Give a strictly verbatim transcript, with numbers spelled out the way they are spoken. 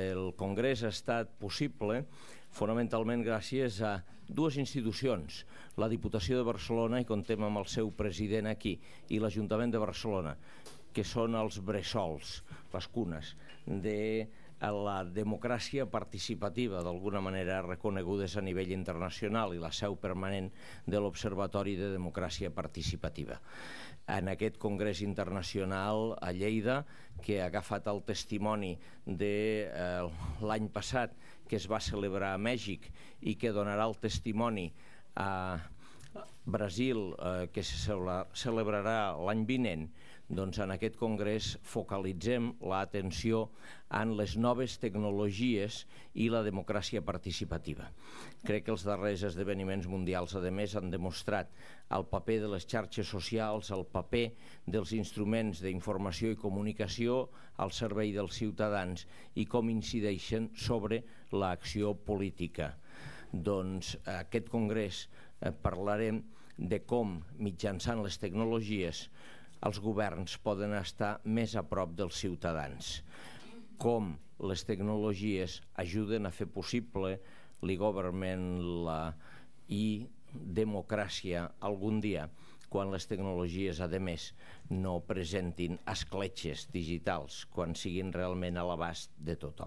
El Congrés ha estat possible fonamentalment gràcies a dues institucions, la Diputació de Barcelona, i contem amb el seu president aquí, i l'Ajuntament de Barcelona, que són els bressols, les cunes, de la democràcia participativa, d'alguna manera reconegudes a nivell internacional, i la seu permanent de l'Observatori de Democràcia Participativa. En aquest Congrés Internacional a Lleida, que ha agafat el testimoni de eh, l'any passat, que es va celebrar a Mèxic i que donarà el testimoni a Brasil, eh, que se celebrarà l'any vinent, doncs en aquest congrés focalitzem l'atenció en les noves tecnologies i la democràcia participativa. Crec que els darrers esdeveniments mundials, a més, han demostrat el paper de les xarxes socials, el paper dels instruments d'informació i comunicació al servei dels ciutadans i com incideixen sobre l'acció política. Doncs aquest congrés eh, parlarem de com, mitjançant les tecnologies, els governs poden estar més a prop dels ciutadans, com les tecnologies ajuden a fer possible l'e-government i democràcia algun dia, quan les tecnologies, a més, no presentin escletxes digitals, quan siguin realment a l'abast de tothom.